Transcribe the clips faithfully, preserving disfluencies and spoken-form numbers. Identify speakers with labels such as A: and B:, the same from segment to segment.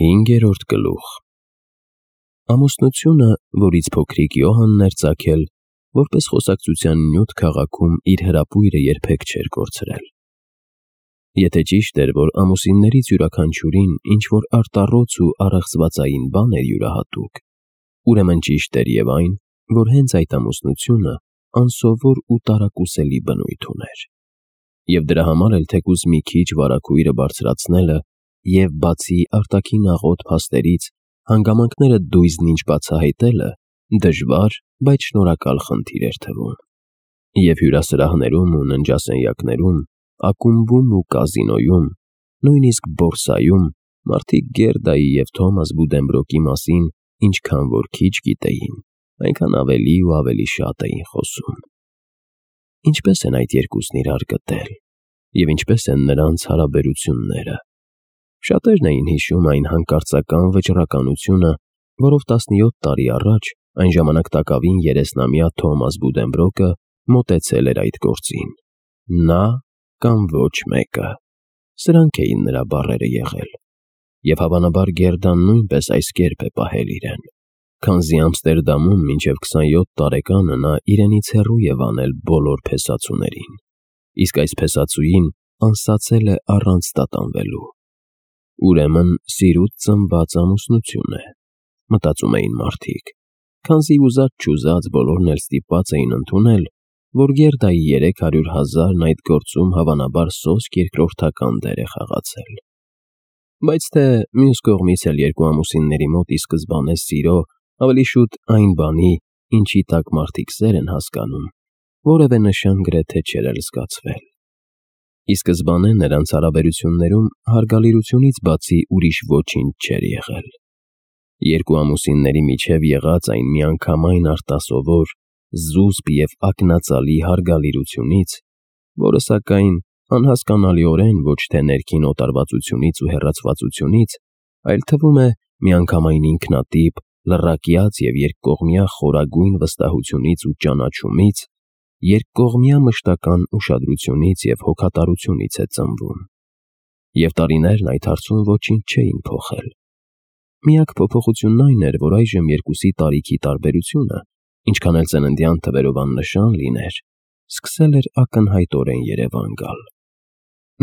A: Հինգերորդ գլուխ Ամուսնությունը, որից փոքրիկ Յոհանն էր ծագել, որպես խոսակցության նյութ քաղաքում իր հրապույրը երբեք չէր կորցրել։ Եթե ճիշտ էր, որ ամուսիններից յուրաքանչյուրին ինչ-որ արտառոց ու առեղծվածային բան էր յուրահատուկ, ուրեմն ճիշտ էր և այն, որ հենց այդ ամուսնությունը անսովոր ու տարակուսելի բնույթ ուներ։ Եվ դրա համար էլ թեկուզ մի քիչ վարագույրը բարձրացնելը և բացի արտաքին աղոտ փաստերից հանգամանքները դույզնինչ բացահայտելը դժվար, բայց շնորհակալ խնդիր էր թվում։ Եվ հյուրասրահներում ու ննջասենյակներում, ակումբում ու կազինոյում, նույնիսկ բորսայում մարդիկ Գերդայի և Թոմաս Բուդենբրոկի մասին ինչքան որ քիչ գիտեին, այնքան ավելի ու ավելի շատ էին խոսում։ Ինչպե՞ս են այդ երկուսն իրար գտել, և ինչպե՞ս են նրանց հարաբերությունները։ Շատերն էին հիշում այն հանկարծական վճռականությունը, որով տասնյոթ տարի առաջ այն ժամանակ տակավին երեսնամյա Թոմաս Բուդենբրոկը մոտեցել էր այդ գործին։ Նա կամ ոչ մեկը։ Սրանք էին նրա բառերը եղել։ Եվ հավանաբար Գերդան նույնպես այս կերպ է պահել իրեն, քանզի Ամստերդամում մինչև քսանյոթ տարեկանը նա իրենից հեռու է անել բոլոր փեսացուներին, իսկ այս փեսացուին անսացել է առանց տատանվելու։ Ուրեմն սիրուց ծնված ամուսնություն է, մտածում էին մարդիկ, քանզի ուզած-չուզած բոլորն էլ ստիպված էին ընդունել, որ Գերդայի երեք հարյուր հազարն այդ գործում հավանաբար սոսկ երկրորդական դեր է խաղացել։ Բայց թե մյուս կողմից էլ երկու ամուսինների մոտ ի սկզբանե սիրո, ավելի շուտ այն բանի, ինչի տակ մարդիկ սեր են հասկանում, որևէ նշան գրեթե չէր էլ զգացվել։ Ի սկզբանե նրանց հարաբերություններում հարգալիրությունից բացի ուրիշ ոչինչ չէր եղել։ Երկու ամուսինների միջև եղած այն միանգամայն արտասովոր, զուսպ և ակնածալի հարգալիրությունից, որը սակայն անհասկանալիորեն ոչ թե ներքին օտարվածությունից ու հեռացվածությունից, այլ թվում է միանգամայն ինքնատիպ, լռակյաց և երկկողմյա խորագույն վստահությունից ու ճանաչումից, երկկողմյա մշտական ուշադրությունից և հոգատարությունից է ծնվում։ Եվ տարիներն այդ հարցում ոչինչ չէին փոխել։ Միակ փոփոխությունն այն էր, որ այժմ երկուսի տարիքի տարբերությունը, ինչքան էլ ծննդյան թվերով աննշան լիներ, սկսել էր ակնհայտորեն երևան գալ։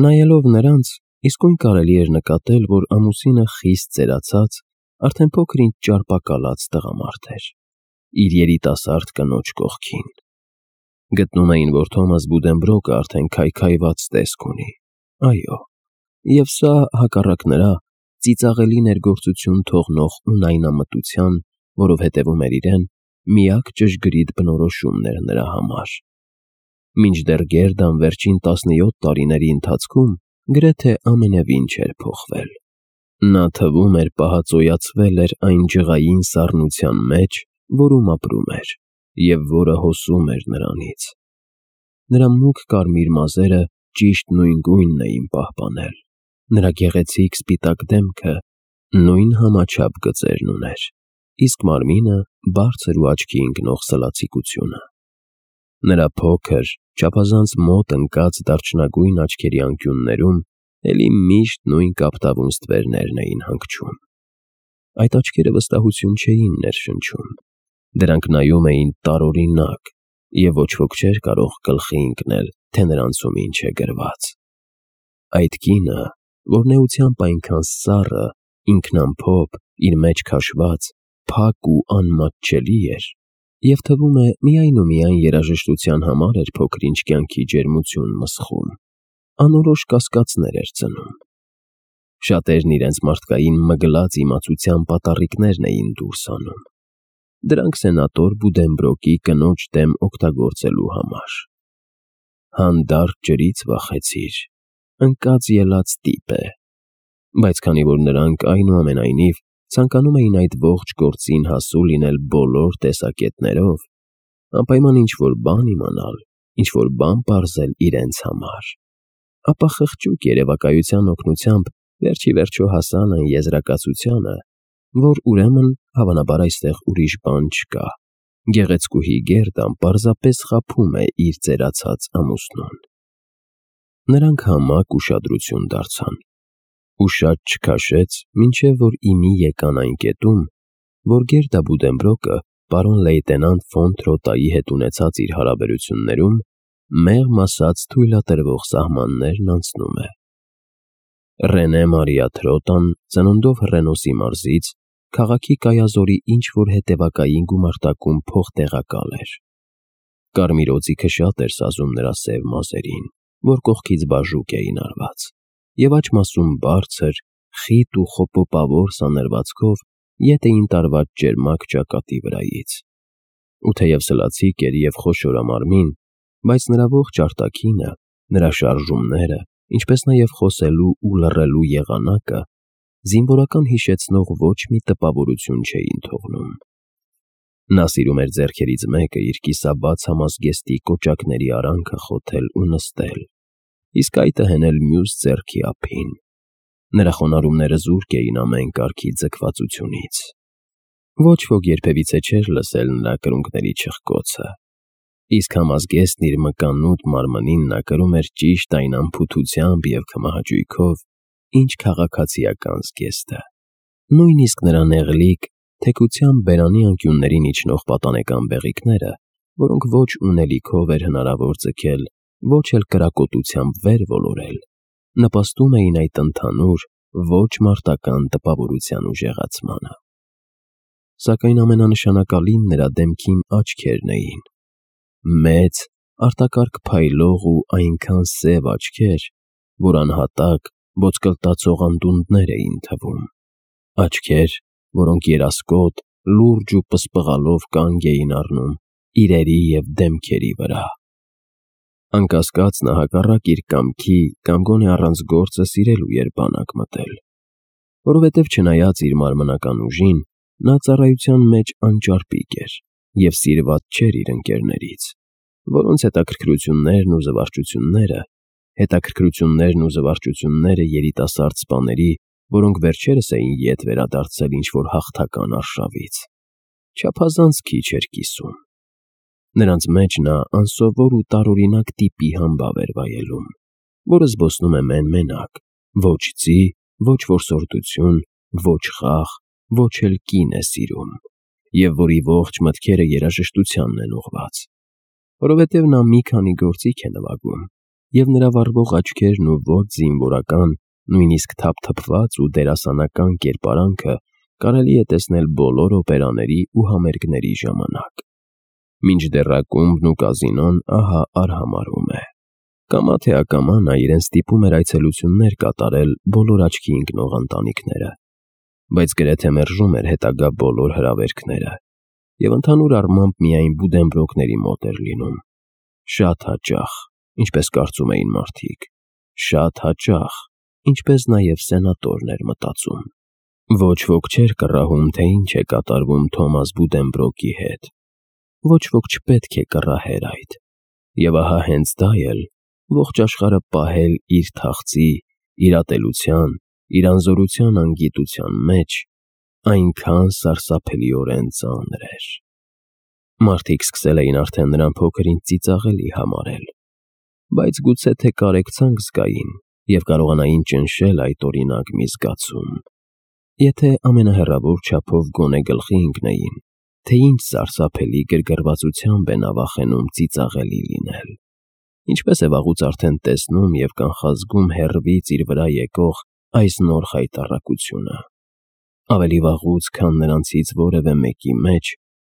A: Նայելով նրանց, իսկույն կարելի էր նկատել, որ ամուսինը խիստ ծերացած, արդեն փոքր-ինչ ճարպակալած տղամարդ էր, իր երիտասարդ կնոջ կողքին։ Գտնում էին, որ Թոմաս Բուդենբրոկը արդեն քայքայված տեսք ունի, այո, և սա, հակառակ նրա, ծիծաղելի ներգործություն թողնող ունայնամտության, որով հետևում էր իրեն, միակ ճշգրիտ բնորոշումն էր նրա համար։ Մինչդեռ Գերդան վերջին տասնյոթ տարիների ընթացքում գրեթե ամենևին չէր փոխվել։ Նա թվում էր պահածոյացվել էր այն ջղային սառնության մեջ, որում ապրում էր, և որը հոսում էր նրանից։ Նրա մուգ կարմիր մազերը ճիշտ նույն գույնն էին պահպանել, նրա գեղեցիկ սպիտակ դեմքը նույն համաչափ գծերն ուներ, իսկ մարմինը բարձր ու աչքի ընկնող սլացիկությունը։ Նրա փոքր, չափազանց մոտ ընկած դարչնագույն աչքերի անկյուններում էլի միշտ նույն կապտավուն ստվերներն էին հանգչում։ Այդ աչքերը վստահություն չէին ներշնչում, դրանք նայում էին տարօրինակ, և ոչ ոք չէր կարող գլխի ընկնել, թե նրանցում ինչ է գրված։ Այդ կինը, որն էությամբ այնքան սառը, ինքնամփոփ, իր մեջ քաշված, փակ ու անմատչելի էր, և թվում է միայն ու միայն երաժշտության համար էր փոքր-ինչ կյանքի ջերմություն մսխում, անորոշ կասկածներ էր ծնում։ Շատերն իրենց մարդկային մգլած իմացության պատառիկներն էին դուրս անում, դրանք սենատոր Բուդենբրոկի կնոջ դեմ օգտագործելու համար։ Հանդարտ ջրից վախեցիր, ընկած ելած տիպ է։ Բայց քանի որ նրանք այնուամենայնիվ ցանկանում էին այդ ողջ գործին հասու լինել բոլոր տեսակետներով, անպայման ինչ-որ բան իմանալ, ինչ-որ բան պարզել իրենց համար, ապա խղճուկ երևակայության օգնությամբ վերջ ի վերջո հասան այն եզրակացությանը, որ ուրեմն հավանաբար այստեղ ուրիշ բան չկա, գեղեցկուհի Գերդան պարզապես խաբում է իր ծերացած ամուսնուն։ Նրանք համակ ուշադրություն դարձան, ու շատ չքաշեց, մինչև որ ի մի եկան այն կետում, որ Գերդա Բուդենբրոկը պարոն լեյտենանտ ֆոն Թրոտայի հետ ունեցած իր հարաբերություններում մեղմ ասած թույլատրվող սահմաններն անցնում է։ Ռենե Մարիա Թրոտան ծնունդով Հռենոսի մարզից քաղաքի Կայազորի ինչ-որ հետևակային գումարտակում փոխտեղակալ էր։ Կարմիր օձիքը շատ էր սազում նրա սև մազերին, որ կողքից բաժուկ էին արված, և աջ մասում բարձր, խիտ ու խոպոպավոր սանրվածքով ետ էին տարված ճերմակ ճակատի վրայից։ Ու թեև սլացիկ էր և խոշորամարմին, բայց նրա ողջ արտաքինը, նրա շարժումները, ինչպես նաև խոսելու ու լռելու եղանակը զինվորական հիշեցնող ոչ մի տպավորություն չէին թողնում։ Նա սիրում էր ձեռքերից մեկը իր կիսաբաց համազգեստի կոճակների արանքը խոթել ու նստել, իսկ այդը հենել մյուս ձեռքի ափին։ Նրա խոնարհումները զուրկ էին ամեն կարգի ձգվածությունից։ Ոչ ոք երբևիցե չէր լսել նրա կրունկների չխկոցը, իսկ համազգեստն իր մկանուտ մարմնին նա կրում էր ճիշտ այն անփութությամբ և քմահաճույքով, ինչ քաղաքացիական զգեստը։ Նույնիսկ նրա նեղլիկ, թեքությամբ բերանի անկյուններին իջնող պատանեկան բեղիկները, որոնք ոչ ունելիքով էր հնարավոր ձգել, ոչ էլ կրակոտությամբ վեր ոլորել, նպաստում էին այդ ընդհանուր, ոչ մարտական տպավորության ուժեղացմանը։ Սակայն ամենանշանակալին նրա դեմքին աչքերն էին։ Մեծ, արտակարգ փայլող ու այնքան սև աչքեր, որ անհատակ, ոսկլտացող անդունդներ էին թվում։ Աչքեր, որոնք երասկոտ, լուրջ ու պսպղալով կանգ էին առնում իրերի և դեմքերի վրա։ Անկասկած նա հակառակ իր կամքի կամ գոնե առանց գործը սիրելու էր բանակ մտել, որովհետև չնայած իր մարմնական ուժին, նա ծառայության մեջ անճարպիկ էր և սիրված չէր իր ընկերներից, որոնց հետաքրքրություններն ու զվարճությունները, հետաքրքրություններն ու զվարճությունները երիտասարդ սպաների, որոնք վերջերս էին ետ վերադարձել ինչ-որ հաղթական արշավից, չափազանց քիչ էր կիսում։ Նրանց մեջ նա անսովոր ու տարօրինակ տիպի համբավ էր վայելում, որը զբոսնում է մեն-մենակ, ոչ ձի, ոչ որսորդություն, ոչ խաղ, ոչ էլ կին է սիրում, և որի ողջ մտքերը երաժշտությանն են ուղղված, որովհետև նա մի քանի գործիք է նվագում, և նրա վառվող աչքերն ու ոչ զինվորական, նույնիսկ թափթփված ու դերասանական կերպարանքը կարելի է տեսնել բոլոր օպերաների ու համերգների ժամանակ։ Մինչդեռ ակումբն ու կազինոն ահա արհամարհում է։ Կամա թե ակամա նա իրեն ստիպում էր այցելություններ կատարել բոլոր աչքի ընկնող ընտանիքները, բայց գրեթե մերժում էր հետագա բոլոր հրավերքները և ընդհանուր առմամբ միայն Բուդենբրոկների մոտ էր լինում։ Շատ հաճախ, ինչպես կարծում էին մարդիկ, շատ հաճախ, ինչպես նաև սենատորն էր մտածում։ Ոչ ոք չէր կռահում, թե ինչ է կատարվում Թոմաս Բուդենբրոկի հետ։ Ոչ ոք չպետք է կռահեր այդ։ Եվ ահա հենց դա էլ ողջ աշխարհը պահել իր թախծի, իր ատելության, իր անզորության անգիտության մեջ այնքան սարսափելիորեն ծանր էր։ Մարդիկ սկսել էին արդեն նրան փոքր-ինչ ծիծաղելի համարել, բայց գուցե թե կարեկցանք զգային և կարողանային ճնշել այդ օրինակ մի զգացում, եթե ամենահեռավոր չափով գոնե գլխի ընկնեին, թե ինչ սարսափելի գրգռվածությամբ է նա վախենում ծիծաղելի լինել, ինչպես է վաղուց արդեն տեսնում և կանխազգում հեռվից իր վրա եկող այս նոր խայտառակությունը։ Ավելի վաղուց, քան նրանցից որևէ մեկի մեջ,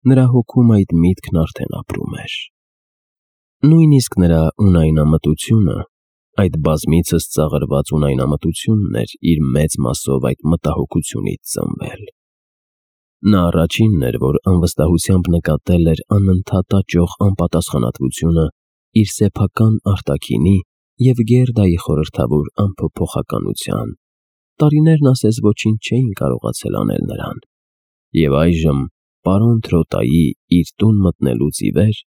A: նրա հոգում այդ միտքն արդեն ապրում էր։ Նույնիսկ նրա ունայնամտությունը, այդ բազմիցս ծաղրված ունայնամտությունն էր իր մեծ մասով այդ մտահոգությունից ծնվել։ Նա առաջինն էր, որ անվստահությամբ նկատել էր անընդհատ աճող անպատասխանատվությունը իր սեփական արտաքինի և Գերդայի խորհրդավոր անփոփոխականության։ Տարիներն ասես ոչինչ չէին կարողացել անել նրան։ Եվ այժմ, պարոն Թրոտայի իր տուն մտնելուց ի վեր,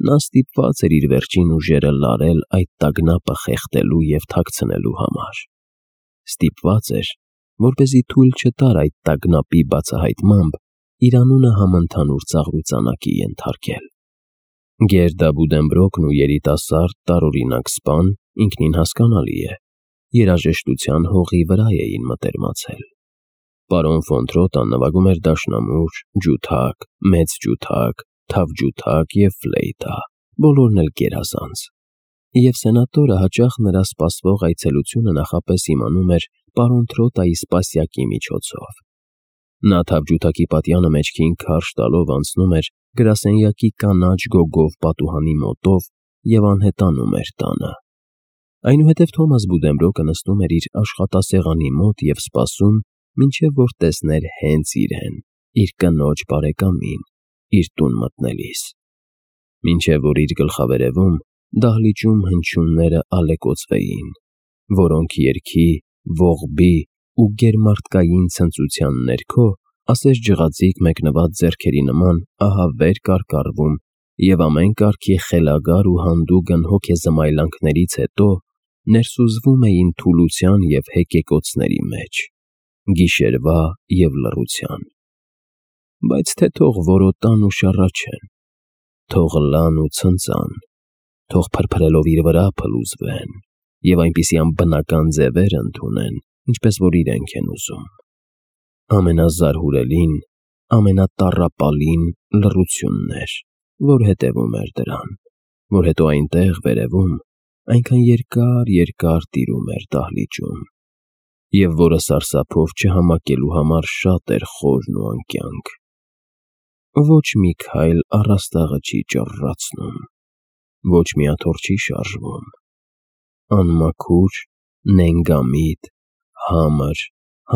A: նա ստիպված էր իր վերջին ուժերը լարել այդ տագնապը խեղդելու և թաքցնելու համար։ Ստիպված էր, որպեսզի թույլ չտար այդ տագնապի բացահայտմամբ իր անունը համընդհանուր ծաղրուծանակի ենթարկել։ Գերդա Բուդենբրոկն ու երիտասարդ տարօրինակ սպան ինքնին հասկանալի է, երաժշտության հողի վրա էին մտերմացել։ Պարոն ֆոն Տրոտան նվագում էր դաշնամուր, ջութակ, մեծ ջութակ, թավջութակ և ֆլեյտա, բոլորն էլ գերազանց։ Եվ սենատորը հաճախ նրա սպասվող այցելությունը նախապես իմանում էր պարոն Տրոտայի սպասյակի միջոցով։ Նա թավջութակի պատյանը մեջքին քարշ տալով անցնում էր գրասենյակի կանաչ գոգով պատուհանի մոտով և անհետանում էր տանը։ Այնուհետև Թոմաս Բուդենբրոկը նստում էր իր աշխատասեղանի մոտ և սպասում, մինչև որ տեսներ հենց իրեն, իր կնոջ բարեկամին, իր տուն մտնելիս։ Մինչև որ իր գլխավերևում դահլիճում հնչյունները ալեկոծվեին, որոնք երգի, ողբի ու գերմարդկային ցնծության ներքո ասես ջղաձիգ մեկնված ձեռքերի նման ահա վեր կարկառվում և ամեն կարգի խելագար ու հանդուգն հոգեզմայլանքներից հետո ներսուզվում էին թուլության և հեկեկոցների մեջ, գիշերվա և լռության։ Բայց թե թող որոտան ու շառաչեն, թող լան ու ցնծան, թող փրփրելով իր վրա փլուզվեն և այնպիսի անբնական ձևեր ընդունեն, ինչպես որ իրենք են ուզում։ Ամենազարհուրելին, ամենատառապալին լռությունն էր, որ հետևում էր դրան, որ հետո այնտեղ վերևում այնքան երկար-երկար տիրում էր դահլիճում, և որը սարսափով չհամակելու համար շատ էր խորն ու անկյանք։ Ոչ մի քայլ առաստաղը չի ճռռացնում, ոչ մի աթոռ չի շարժվում։ Անմաքուր, նենգամիտ, համր,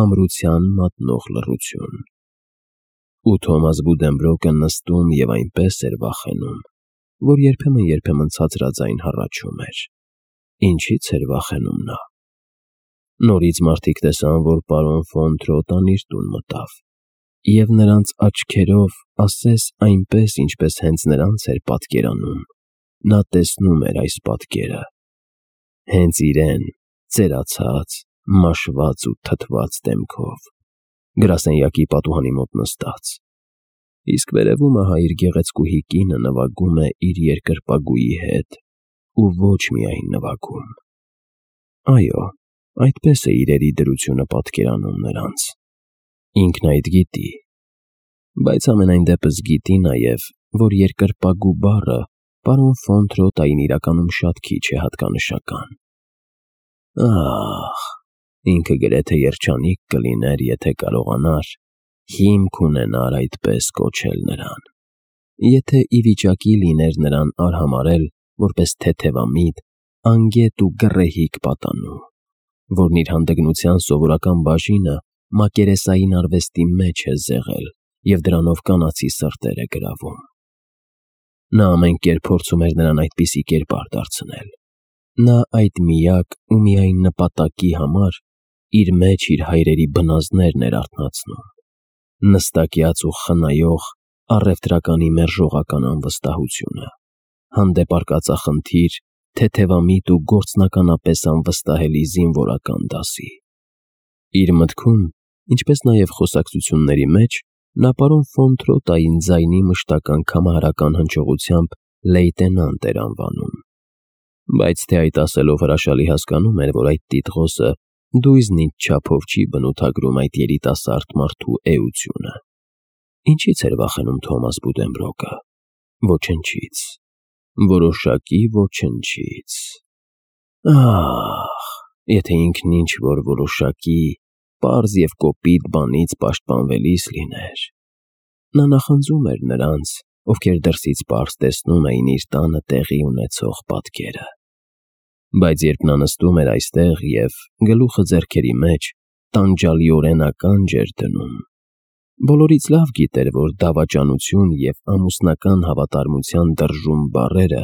A: համրության մատնող լռություն։ Ու Թոմաս Բուդենբրոկը նստում և այնպես էր վախենում, որ երբեմն-երբեմն ցածրաձայն հառաչում էր։ Ինչի՞ց էր վախենում նա։ Նորից մարդիկ տեսան, որ պարոն ֆոն Տրոտան իր տուն մտավ, և նրանց աչքերով, ասես այնպես, ինչպես հենց նրանց էր պատկերանում, նա տեսնում էր այս պատկերը. հենց իրեն, ծերացած, մաշված ու թթված դեմքով, գրասենյակի պատուհանի մոտ նստած, իսկ վերևում ահա իր գեղեցկուհի կինը նվագում է իր երկրպագուի հետ ու ոչ միայն նվագում։ Այո, այդպես է իրերի դրությունը պատկերանում նրանց։ Ինքն այդ գիտի, բայց ամենայն դեպս գիտի նաև, որ երկրպագու բառը պարոն ֆոն Տրոտային իրականում շատ քիչ է հատկանշական։ Ախ, ինքը գրեթե երջանիկ կլիներ, եթե կարողանար հիմք ունենար այդպես կոչել նրան, եթե ի վիճակի լիներ նրան արհամարհել որպես թեթևամիտ, անգետ ու գռեհիկ պատանու, որն իր հանդգնության սովորական բաժինը մակերեսային արվեստի մեջ է զեղել և դրանով կանացի սրտեր է գրավում։ Նա ամեն կերպ փորձում էր նրան այդպիսի կերպար դարձնել։ Նա այդ միակ ու միայն նպատակի համար իր մեջ իր հայրերի բնազդներն էր արթնացնում, նստակյաց ու խնայող առևտրականի մերժողական անվստահությունը, հանդեպ արկածախնդիր, թեթևամիտ ու գործնականապես անվստահելի զինվորական դասի։ Իր մտքում, ինչպես նաև խոսակցությունների մեջ, նա պարոն ֆոն Տրոտային ձայնի մշտական կամարական հնչողությամբ լեյտենանտ էր անվանում, բայց թե այդ ասելով հրաշալի հասկանում էր, որ այդ տիտղոսը դույզնից չափով չի բնութագրում այդ երիտասարդ մարդու էությունը։ Ինչի՞ց էր վախենում Թոմաս Բուդենբրոկը։ Ոչնչից, որոշակի ոչնչից։ Ախ, եթե ինքն ինչ-որ որոշակի, պարզ և կոպիտ բանից պաշտպանվելիս լիներ։ Նա նախանձում էր նրանց, ովքեր դրսից պարզ տեսնում էին իր տանը տեղի ունեցող պատկերը։ Բայց երբ նա նստում էր այստեղ և, գլուխը ձեռքերի մեջ, տանջալիորեն ականջ էր դնում, բոլորից լավ գիտեր, որ դավաճանություն և ամուսնական հավատարմության դրժում բառերը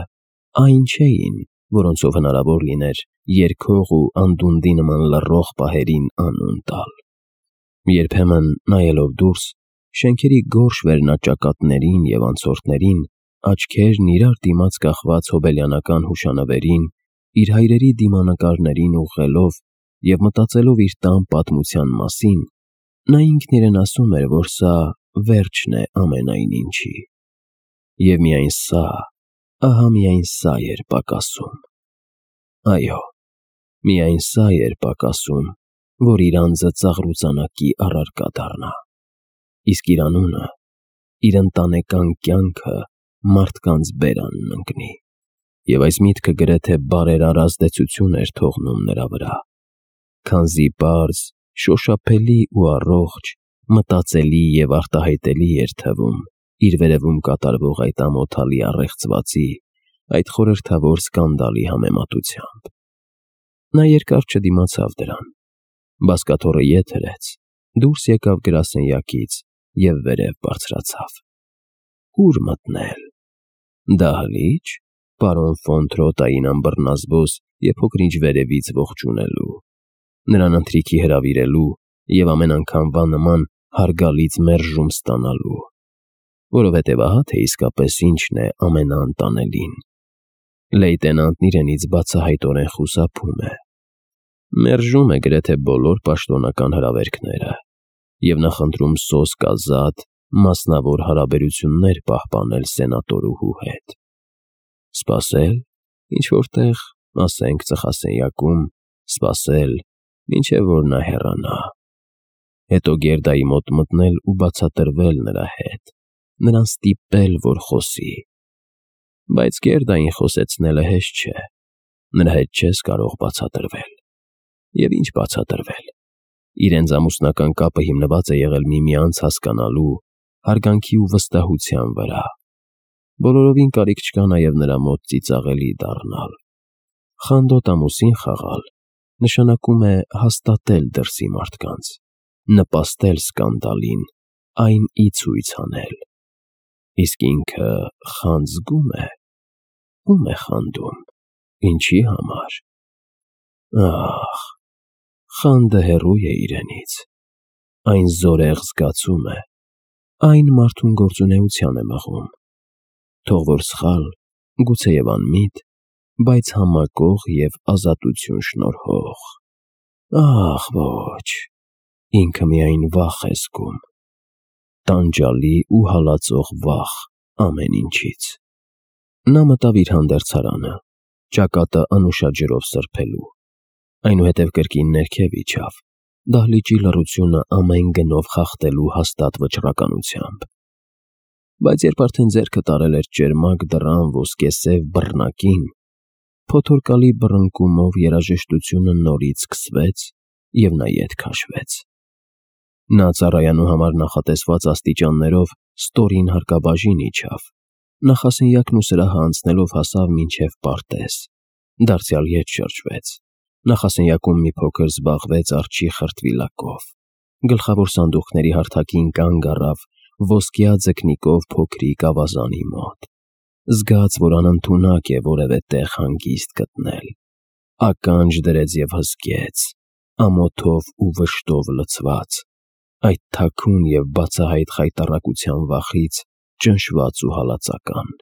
A: այն չէին, որոնցով հնարավոր լիներ երգող ու անդունդի նման լռող պահերին անուն տալ։ Երբեմն, նայելով դուրս, շենքերի գորշ վերնաճակատներին և անցորդներին, աչքերն իրար դիմաց կախված հոբելյանական հուշանվերին, իր հայրերի դիմանկարներին ուղղելով և մտածելով իր տան պատմության մասին, նա ինքն իրեն ասում էր, որ սա վերջն է ամենայն ինչի։ Եվ միայն սա, ահա միայն սա էր պակասում։ Այո, Միայն սա էր պակասում, որ իր անձը ծաղրուծանակի առարկա դառնա, իսկ իր անունը, իր ընտանեկան կյանքը մարդկանց բերանն ընկնի։ Եվ այս միտքը գրեթե բարերար ազդեցություն էր թողնում նրա վրա, քանզի պարզ, շոշափելի ու առողջ, մտածելի և արտահայտելի էր թվում իր վերևում կատարվող այդ ամոթալի առեղծվածի, այդ խորհրդավոր սկանդալի համեմատությամբ։ Նա երկար չդիմացավ դրան, բազկաթոռը ետ հրեց, դուրս եկավ գրասենյակից և վերև բարձրացավ։ Ո՞ւր մտնել։ Դահլի՞ճ, պարոն ֆոն Տրոտային անբռնազբոս և փոքր-ինչ վերևից ողջունելու, նրան ընթրիքի հրավիրելու և ամեն անգամվա նման հարգալից մերժում ստանալու, որովհետև ահա թե իսկապես ինչն է ամենաանտանելին. լեյտենանտն իրենից բացահայտորեն խուսափում է, մերժում է գրեթե բոլոր պաշտոնական հրավերքները և նախընտրում սոսկ մասնավոր հարաբերություններ պահպանել սենատորուհու հետ, սպասել, ինչ-որ տեղ, ասենք ծխասենյակում, սպասել, մինչև որ նա հեռանա, հետո Գերդայի մոտ մտնել ու բացատրվել նրա հետ, նրան ստիպել, որ խոսի, բայց Գերդային խոսեցնելը հեշտ չէ, նրա հետ չես կարող բացատրվել։ Եվ ինչ բացատրվել, իրենց ամուսնական կապը հիմնված է եղել միմյանց հասկանալու, հարգանքի ու վստահության վրա, բոլորովին կարիք չկա նաև նրա մոտ ծիծաղելի դառնալ։ Խանդոտ ամուսին խաղալ նշանակում է հաստատել դրսի մարդկանց, նպաստել սկանդալին, այն ի ցույց անել, իսկ ինքը խանձ զգո՞ւմ է, ո՞ւմ է խանդում, ինչի համար։ Ախ, խանդը հեռու է իրենից, այն զորեղ զգացում է, այն մարդուն գործունեության է մղում, թող որ սխալ, գուցեև անմիտ, բայց համակող և ազատություն շնորհող։ Ախ, ոչ, ինքը միայն վախ է զգում, տանջալի ու հալածող վախ ամեն ինչից։ Նա մտավ իր հանդերձարանը, ճակատը անուշա ջրով սրբելու, այնուհետև կրկին ներքև իջավ, դահլիճի լռությունը ամեն գնով խախտելու հաստատ վճռականությամբ։ Բայց երբ արդեն ձեռքը տարել էր ճերմակ դռան ոսկեսև բռնակին, փոթորկալի բռնկումով երաժշտությունը նորից սկսվեց, և նա ետ քաշվեց։ Նա ծառայանու համար նախատեսված աստիճաններով ստորին հարկաբաժին իջավ, նախասենյակն ու սրահը անցնելով հասավ մինչև պարտեզ, դարձյալ ետ շրջվեց, նախասենյակում մի փոքր զբաղվեց արջի խրտվիլակով, գլխավոր սանդուղքների հարթակին կանգ առավ ոսկյա ձկնիկով փոքրիկ ավազանի մոտ, զգաց, որ անընդունակ է որևէ տեղ հանգիստ գտնել, ականջ դրեց և հզկեց, ամոթով ու վշտով լցված, այդ թաքուն և բացահայտ խայտառակության վախից ճնշված ու հալածական։